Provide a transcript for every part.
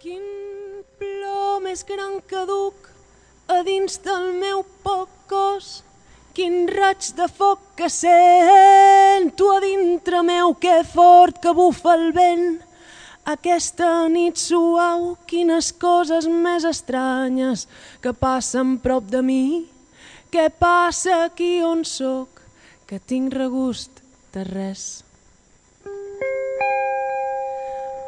Quin plor més gran que duc a dins del meu poc cos, quin raig de foc que sento a dintre meu, que fort que bufa el vent. Aquesta nit suau, quines coses més estranyes que passen prop de mi. Què passa aquí on sóc, que tinc regust de res.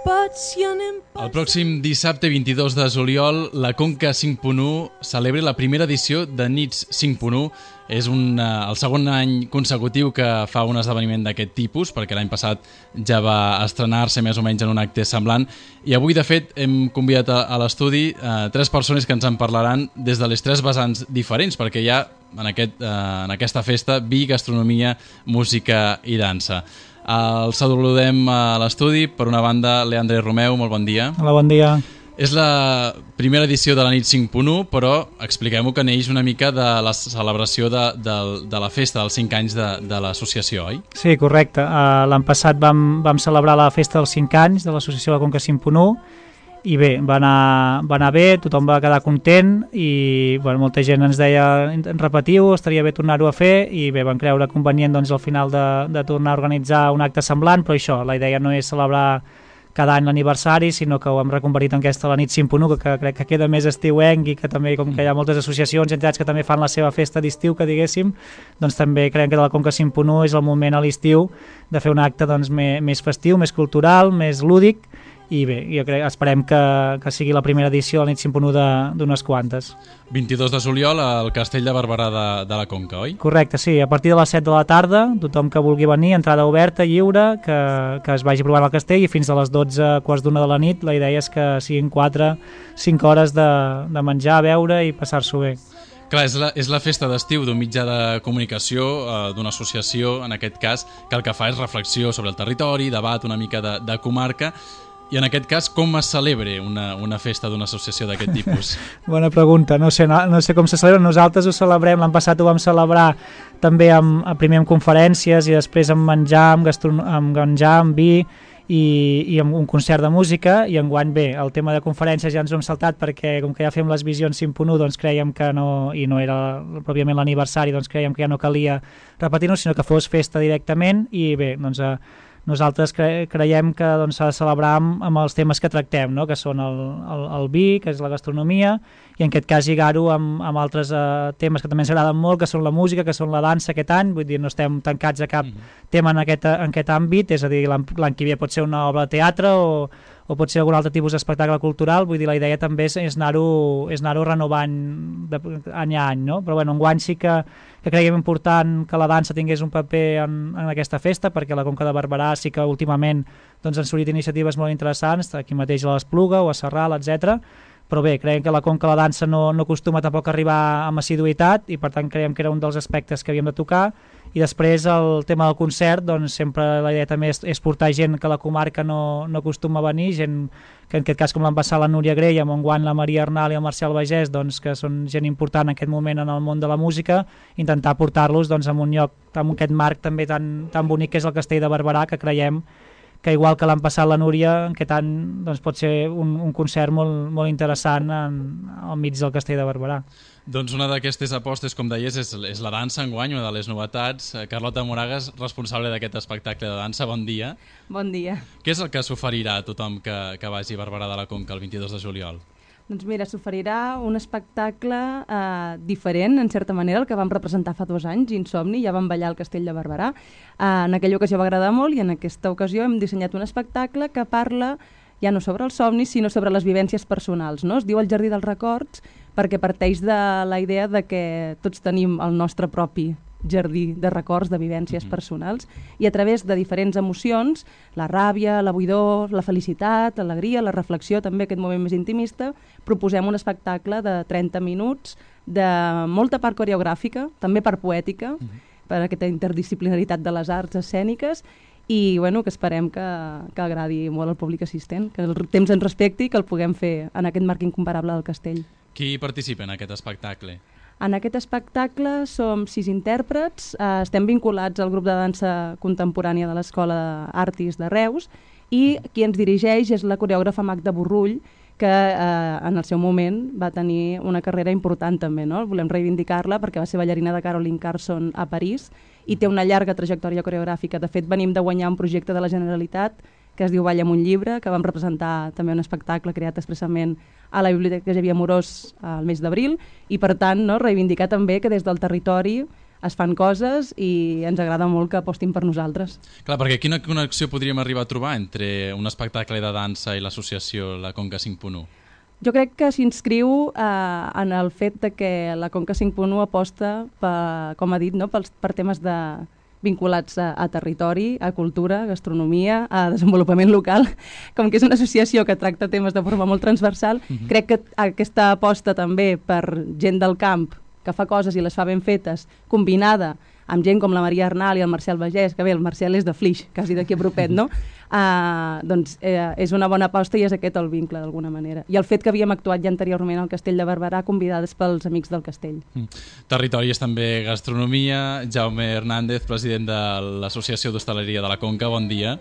El pròxim dissabte 22 de juliol, la Conca 5.1 celebra la primera edició de Nits 5.1. És el segon any consecutiu que fa un esdeveniment d'aquest tipus, perquè l'any passat ja va estrenar-se més o menys en un acte semblant. I avui, de fet, hem convidat a l'estudi 3 persones que ens en parlaran des de les 3 vessants diferents, perquè hi ha en aquesta festa vi, gastronomia, música i dansa. El saludem a l'estudi. Per una banda, Leandre Romeu, molt bon dia. Hola, bon dia. És la primera edició de la nit 5.1, però expliquem-ho que neix una mica de la celebració de la festa dels 5 anys de l'associació, oi? Sí, correcte. L'any passat vam celebrar la festa dels 5 anys de l'associació de la Conca 5.1 i bé, va anar bé, tothom va quedar content i molta gent ens deia repetiu, estaria bé tornar-ho a fer i bé, vam creure convenient al final de tornar a organitzar un acte semblant, però això, la idea no és celebrar cada any l'aniversari, sinó que ho hem reconvertit en aquesta la nit 5.1, que crec que queda més estiuenc i que també, com que hi ha moltes associacions i entitats que també fan la seva festa d'estiu, que diguéssim, doncs també creiem que de la Conca 5.1 és el moment a l'estiu de fer un acte més festiu, més cultural, més lúdic, i bé, jo crec, esperem que sigui la primera edició de la nit 5.1 d'unes quantes. 22 de juliol al Castell de Barberà de la Conca, oi? Correcte, sí, a partir de les 7 de la tarda, tothom que vulgui venir, entrada oberta, lliure, que es vagi provant al castell i fins a les 12, quarts d'una de la nit, la idea és que siguin 4-5 hores de menjar, beure i passar-s'ho bé. Clar, és la festa d'estiu d'un mitjà de comunicació, d'una associació, en aquest cas, que el que fa és reflexió sobre el territori, debat una mica de comarca. I en aquest cas, com es celebra una festa d'una associació d'aquest tipus? Bona pregunta, no sé com se celebra. Nosaltres ho celebrem, l'any passat ho vam celebrar també primer amb conferències i després amb menjar, amb vi i amb un concert de música, i enguany bé, el tema de conferències ja ens ho hem saltat perquè com que ja fem les visions 5.1 doncs creiem que no, i no era pròpiament l'aniversari, doncs creiem que ja no calia repetir-ho, sinó que fos festa directament i bé, doncs nosaltres creiem que s'ha de celebrar amb els temes que tractem, no? Que són el vi, que és la gastronomia, i en aquest cas lligar-ho amb altres temes que també ens agraden molt, que són la música, que són la dansa aquest any, vull dir, no estem tancats a cap tema en aquest àmbit, és a dir, l'any que ve pot ser una obra de teatre o pot ser algun altre tipus d'espectacle cultural, vull dir, la idea també és anar-ho renovant any a any, no? Però bueno, enguany sí que creiem important que la dansa tingués un paper en aquesta festa, perquè la Conca de Barberà sí que últimament han sortit iniciatives molt interessants, aquí mateix a l'Espluga o a Sarral, etc. Però bé, creiem que la Conca la dansa no acostuma tampoc a arribar amb assiduïtat i per tant creiem que era un dels aspectes que havíem de tocar. I després el tema del concert, doncs sempre la idea també és portar gent que la comarca no acostuma a venir, gent que en aquest cas com l'han passat la Núria Grey, amb enguany la Maria Arnal i el Marcial Bagès, doncs, que són gent important en aquest moment en el món de la música, intentar portar-los en un lloc, amb aquest marc també tan bonic que és el Castell de Barberà, que creiem que igual que l'han passat la Núria, aquest any pot ser un concert molt interessant al mig del Castell de Barberà. Doncs una d'aquestes apostes, com deies, és la dansa enguany, una de les novetats. Carlota Moragas, responsable d'aquest espectacle de dansa, bon dia. Bon dia. Què és el que s'oferirà a tothom que vagi a Barberà de la Conca el 22 de juliol? Doncs mira, s'oferirà un espectacle diferent, en certa manera, el que vam representar fa 2 anys, Insomni, ja vam ballar al Castell de Barberà. En aquella ocasió va agradar molt i en aquesta ocasió hem dissenyat un espectacle que parla ja no sobre els somnis, sinó sobre les vivències personals, no? Es diu El Jardí dels Records perquè parteix de la idea de que tots tenim el nostre propi jardí de records, de vivències personals, i a través de diferents emocions, la ràbia, la buidor, la felicitat, l'alegria, la reflexió, també aquest moment més intimista, proposem un espectacle de 30 minuts de molta part coreogràfica, també per poètica, per aquesta interdisciplinaritat de les arts escèniques, i bueno, que esperem que agradi molt al públic assistent, que el temps ens respecti i que el puguem fer en aquest marc incomparable del castell. Qui participa en aquest espectacle? En aquest espectacle som 6 intèrprets, estem vinculats al grup de dansa contemporània de l'Escola d'Artis de Reus i qui ens dirigeix és la coreògrafa Magda Borrull, que en el seu moment va tenir una carrera important també, no? Volem reivindicar-la perquè va ser ballarina de Caroline Carson a París i té una llarga trajectòria coreogràfica. De fet, venim de guanyar un projecte de la Generalitat que es diu Balla amb un llibre, que vam representar també un espectacle creat expressament a la Biblioteca Xavier Amorós al mes d'abril, i per tant no, reivindicar també que des del territori es fan coses i ens agrada molt que apostin per nosaltres. Clar, perquè quina connexió podríem arribar a trobar entre un espectacle de dansa i l'associació La Conca 5.1? Jo crec que s'inscriu en el fet de que la Conca 5.1 aposta, com ha dit, no, per temes vinculats a territori, a cultura, a gastronomia, a desenvolupament local. Com que és una associació que tracta temes de forma molt transversal, crec que aquesta aposta també per gent del camp que fa coses i les fa ben fetes, combinada amb gent com la Maria Arnal i el Marcel Bagès, que bé, el Marcel és de Flix, quasi d'aquí a propet, no? Doncs és una bona aposta i és aquest el vincle, d'alguna manera. I el fet que havíem actuat ja anteriorment al Castell de Barberà, convidades pels amics del castell. Territori és també gastronomia. Jaume Hernández, president de l'Associació d'Hostaleria de la Conca, bon dia.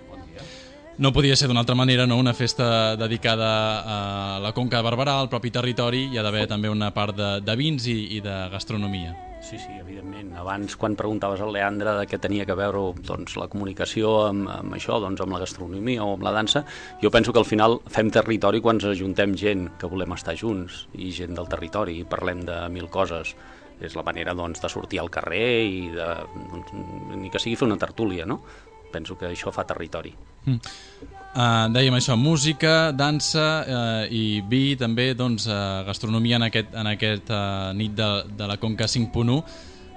No podia ser d'una altra manera, no? Una festa dedicada a la Conca de Barberà, al propi territori. Hi ha d'haver també una part de vins i de gastronomia. Sí, evidentment. Abans, quan preguntaves al Leandre de què tenia que veure doncs, la comunicació amb això, doncs, amb la gastronomia o amb la dansa, jo penso que al final fem territori quan ens ajuntem gent que volem estar junts i gent del territori i parlem de mil coses. És la manera doncs, de sortir al carrer i ni que sigui fer una tertúlia, no? Penso que això fa territori. Dèiem això, música, dansa i vi, també doncs, gastronomia en aquest nit de la Conca 5.1.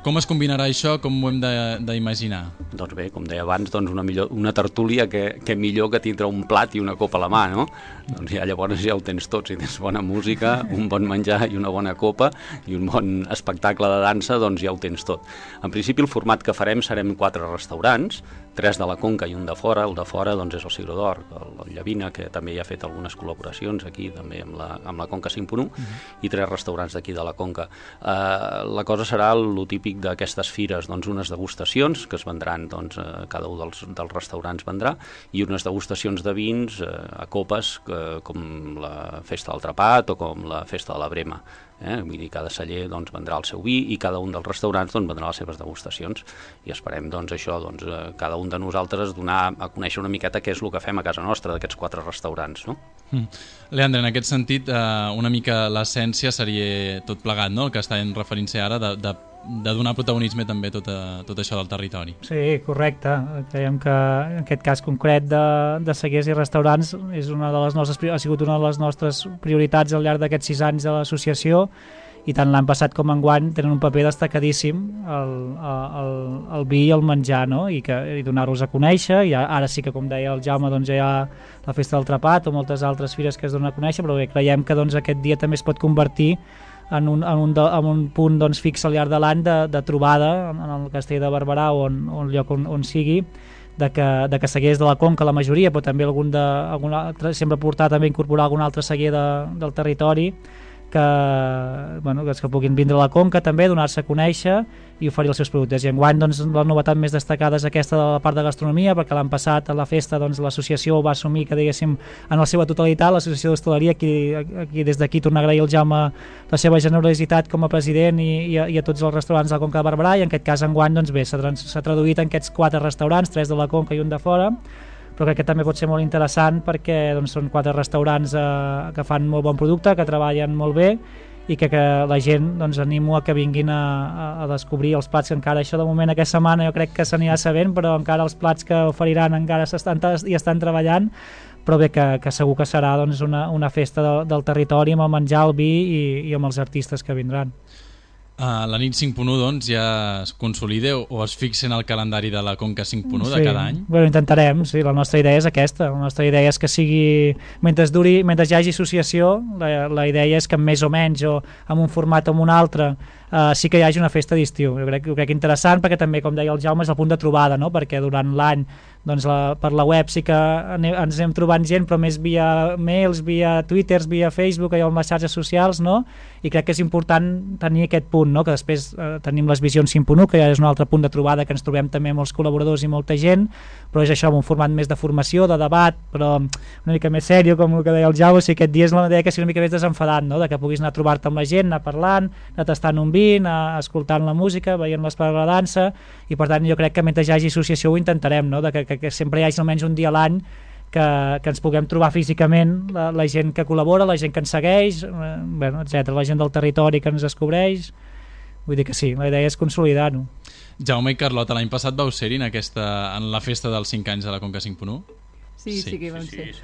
Com es combinarà això? Com ho hem d'imaginar? Doncs bé, com deia abans, doncs una tertúlia que millor que tindre un plat i una copa a la mà, no? Doncs llavors ja ho tens tot, si tens bona música, un bon menjar i una bona copa i un bon espectacle de dansa, doncs ja ho tens tot. En principi el format que farem serem 4 restaurants, 3 de la Conca i un de fora. El de fora doncs, és el Siglo d'Or, el Llavina, que també hi ha fet algunes col·laboracions aquí també amb la Conca 5.1, i 3 restaurants d'aquí de la Conca. La cosa serà el típic d'aquestes fires, doncs, unes degustacions que es vendran, doncs, cada un dels restaurants vendrà, i unes degustacions de vins a copes, com la Festa del Trapat o com la Festa de la Brema. Vull dir, cada celler doncs, vendrà el seu vi i cada un dels restaurants doncs, vendrà les seves degustacions, i esperem doncs, això, doncs, cada un de nosaltres donar a conèixer una miqueta què és el que fem a casa nostra d'aquests 4 restaurants, no? Leandre, en aquest sentit, una mica l'essència seria tot plegat, no? El que estàvem referint-se ara de donar protagonisme també a tot això del territori. Sí, correcte. Creiem que en aquest cas concret de cellers i restaurants és ha sigut una de les nostres prioritats al llarg d'aquests 6 anys de l'associació, i tant l'any passat com enguany tenen un paper destacadíssim el vi i el menjar, no? I donar-los a conèixer. I ara sí que, com deia el Jaume, doncs ja hi ha la Festa del Trapat o moltes altres fires que es donen a conèixer, però bé, creiem que doncs, aquest dia també es pot convertir en un punt doncs, fix al llarg de l'any de trobada en el Castell de Barberà o en el lloc on sigui, de que cellers de la Conca, la majoria, però també algun altre, sempre portar també incorporar algun altre celler del territori que puguin vindre a la Conca també, donar-se a conèixer i oferir els seus productes. I enguany doncs, la novetat més destacada és aquesta de la part de gastronomia, perquè l'any passat a la festa doncs, l'associació va assumir que diguéssim en la seva totalitat, l'associació d'hostaleria, aquí des d'aquí tornar a agrair al Jaume la seva generositat com a president i a tots els restaurants de la Conca de Barberà, i en aquest cas enguany doncs, bé, s'ha traduït en aquests 4 restaurants, 3 de la Conca i un de fora, però crec que també pot ser molt interessant perquè doncs, són 4 restaurants que fan molt bon producte, que treballen molt bé, i que la gent doncs, animo a que vinguin a descobrir els plats que encara, això de moment aquesta setmana jo crec que s'anirà sabent, però encara els plats que oferiran encara estan treballant, però bé que segur que serà doncs, una festa del territori amb el menjar, el vi i amb els artistes que vindran. La nit 5.1 doncs, ja es consolida o es fixa en el calendari de la Conca 5.1 de cada any? Bueno, intentarem, sí, la nostra idea és aquesta. La nostra idea és que sigui, mentre hi hagi associació, la idea és que més o menys o amb un format o amb un altre sí que hi hagi una festa d'estiu. Jo crec interessant perquè també, com deia el Jaume, és el punt de trobada, no? Perquè durant l'any doncs per la web sí que ens anem trobant gent, però més via mails, via twitters, via Facebook, allò amb les xarxes socials, no? I crec que és important tenir aquest punt, no? Que després tenim les visions 5.1, que ja és un altre punt de trobada, que ens trobem també molts col·laboradors i molta gent, però és això, amb un format més de formació, de debat, però una mica més sèrio, com el que deia el Jau. O sigui, aquest dia és la idea que sigui una mica més desenfadat, no? De que puguis anar a trobar-te amb la gent, anar parlant, anar tastant un vi, anar escoltant la música, veient l'espai de la dansa, i per tant jo crec que mentre hi hagi associació ho intentarem, no? De que sempre hi hagi almenys un dia a l'any que ens puguem trobar físicament, la gent que col·labora, la gent que ens segueix, bueno, etc, la gent del territori que ens descobreix. Vull dir que sí, la idea és consolidar-ho. Jaume i Carlota, l'any passat vau ser-hi en la festa dels 5 anys de la Conca 5.1? Sí que vam ser.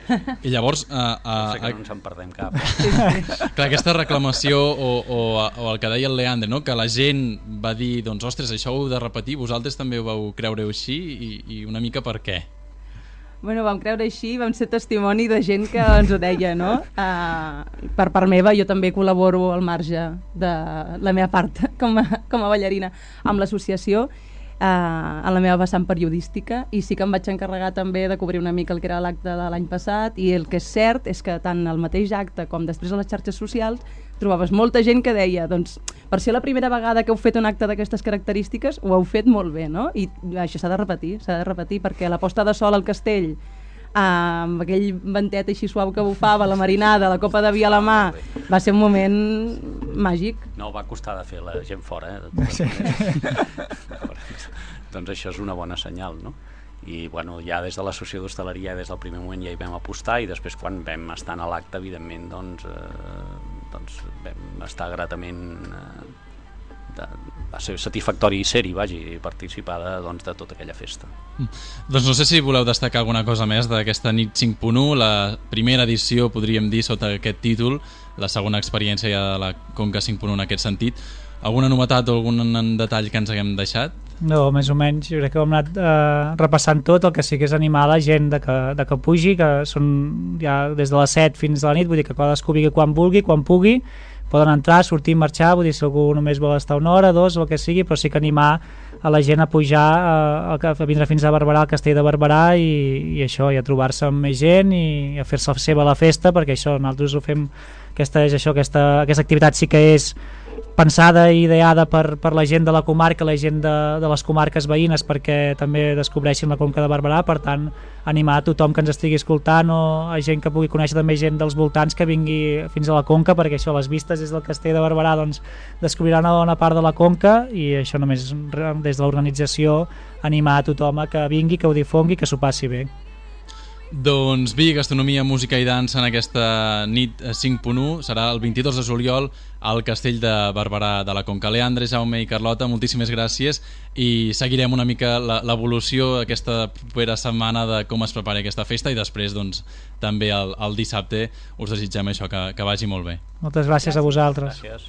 I llavors... Sé que no ens en perdem cap. Clar, aquesta reclamació o el que deia el Leandre, no? Que la gent va dir, doncs, ostres, això ho heu de repetir, vosaltres també ho vau creure així i una mica per què? Bueno, vam creure així, vam ser testimoni de gent que ens ho deia, no? Per part meva, jo també col·laboro al marge de la meva part com a ballarina amb l'associació, en la meva vessant periodística, i sí que em vaig encarregar també de cobrir una mica el que era l'acte de l'any passat, i el que és cert és que tant al mateix acte com després a les xarxes socials trobaves molta gent que deia, doncs, per ser la primera vegada que heu fet un acte d'aquestes característiques ho heu fet molt bé, no? I això s'ha de repetir, perquè la posta de sol al castell, amb aquell ventet així suau que bufava, la marinada, la copa de vi a la mà, va ser un moment màgic. No va costar de fer la gent fora, Sí. Doncs això és una bona senyal, no? I bueno, ja des de l'associació d'hostaleria des del primer moment ja hi vam apostar, i després quan vam estar a l'acte, evidentment, doncs vam estar gratament va ser satisfactori ser-hi, i participar de tota aquella festa. Doncs no sé si voleu destacar alguna cosa més d'aquesta nit 5.1, la primera edició, podríem dir, sota aquest títol, la segona experiència ja de la Conca 5.1 en aquest sentit. Alguna novetat o algun detall que ens haguem deixat? No, més o menys, jo crec que hem anat repassant tot. El que sí que és animar la gent de que pugi, que són ja des de les 7 fins a la nit, vull dir que cadascú vingui quan vulgui, quan pugui, poden entrar, sortir, marxar, vull dir, si algú només vol estar una hora, dos, el que sigui, però sí que animar a la gent a pujar, a vindre fins a Barberà, al castell de Barberà, i això, i a trobar-se amb més gent i a fer-se seva la festa, perquè això, nosaltres ho fem, aquesta activitat sí que és pensada i ideada per la gent de la comarca, la gent de les comarques veïnes, perquè també descobreixin la Conca de Barberà. Per tant, animar a tothom que ens estigui escoltant o a gent que pugui conèixer també gent dels voltants que vingui fins a la Conca, perquè això, les vistes des del castell de Barberà, doncs, descobriran una bona part de la Conca, i això només des de l'organització animar a tothom a que vingui, que ho difongui, que s'ho passi bé. Doncs vi, gastronomia, música i dansa en aquesta nit 5.1 serà el 22 de juliol al Castell de Barberà de la Conca. Leandre, Jaume i Carlota, moltíssimes gràcies, i seguirem una mica l'evolució aquesta propera setmana de com es prepara aquesta festa, i després doncs, també el dissabte us desitgem això, que vagi molt bé. Moltes gràcies a vosaltres. Gràcies.